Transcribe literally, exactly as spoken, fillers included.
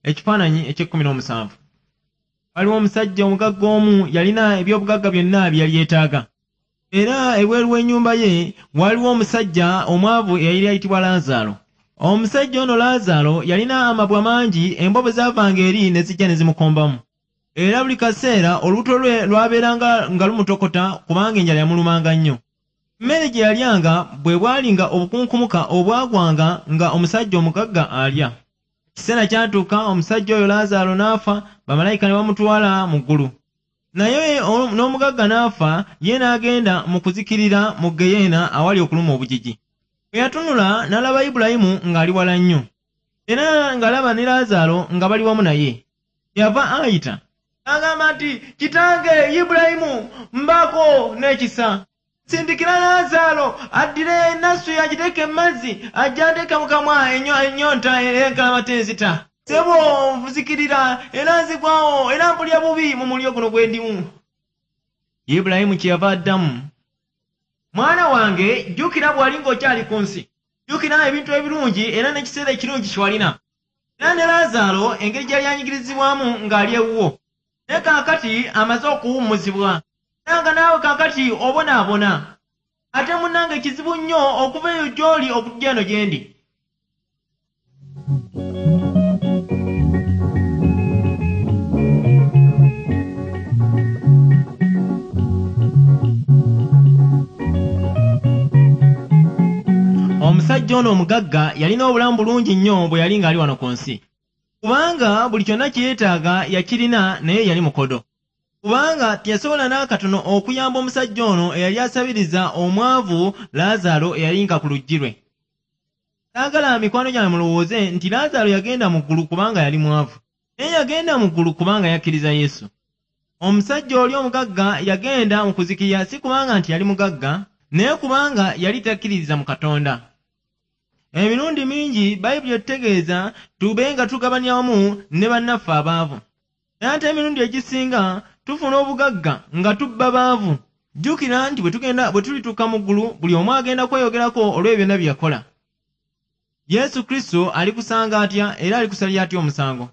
Ekifaananyi eky'ekkumi n'omusanvu. Waliwo omusajja omugagga omu yalina ebyobugagga byonna bye yali yeetaaga. Era ebweru w'ennyumba ye waliwo omusajja omwavu eyali ayitibwa Laazaalo. Omusajja ono Laazaalo yalina amabwa mangi, embwa bwe zaavanga eri ne zijja ne zimukombamu. Era buli kaseera olubuto lwe lwabeeranga nga lumutokota kubanga enjala yamulumanga nnyo. Emmere gye yalyanga bwe bwalinga obukunkumuka obwagwanga nga omusajja omugagga alya. Ekiseera kyatuuka omusajja oyo Laazaalo n'afa, bamalayika ne bamutwala mu ggulu. Naye n'omugagga n'afa, ye n'agenda mu kuzikirira mu Geyeena awali okuluma obujiji. Bwe yatunula n'alaba Ibulayimu ng'ali wala nnyo, era ng'alaba ne Laazaalo nga bali wamu naye. Yava ayita n'agamba nti, "Kitange Ibulayimu, mbaako n'ekisa. Sindikira Laazaalo addire ennasu agiteeke mu mazzi, ajje anteeke mu kamwa ennyonta enkalamata enzita. Ssebo nzikirira era nzigwawo era mpulira bubi mu muliro guno gwe ndimu." Ibulayimu kyeyava addamu, "Mwana wange, jjukira bw'ali ng'okyali ku nsi. Jjukira ebintu ebirungi era n'ekiseera ekirungi kye walina. Era ne Laazaalo engeri gy'yali anyigirizibwamu ng'ali ewuwo. Naye kaakati amaze okuwummuzibwa. Era nga naawe kaakati obonaabona. Ate munnange kizibu nnyo okuva eyo gy'oli okujja eno gye ndi." Omusajja ono omugagga yalina obulamu bulungi nnyo bwe yali ng'ali wano ku nsi. Kubanga buli kyonna kye yeetaaga yakirina, naye yali mukodo. Kubanga teyasobola n'akatono okuyamba omusajja ono eyali asabiriza omwavu Laazaalo eyali nga ku luggi lwe. Saagala mikwano gyange mulowooze nti Laazaalo yagenda mu ggulu kubanga yali mwavu. Naye yagenda mu ggulu kubanga yakkiriza Yesu. Omusajja oli omugagga yagenda mu kuzikirira si kubanga nti yali mugagga, naye kubanga yali takkiririza mu Katonda. Emirundi mingi Bayibuli etutegeeza tube nga tugabanya wamu ne bannaffe abaavu. Naye ate emirundi egisinga tufuna obugagga nga tubba baavu. Jjukira nti bwe tugenda bwe tulituuka mu ggulu, buli omu agenda kweyogerako olw'ebyo byonna bye yakola. Yesu Kristo alikusanga atya era alikusalira atya omusango?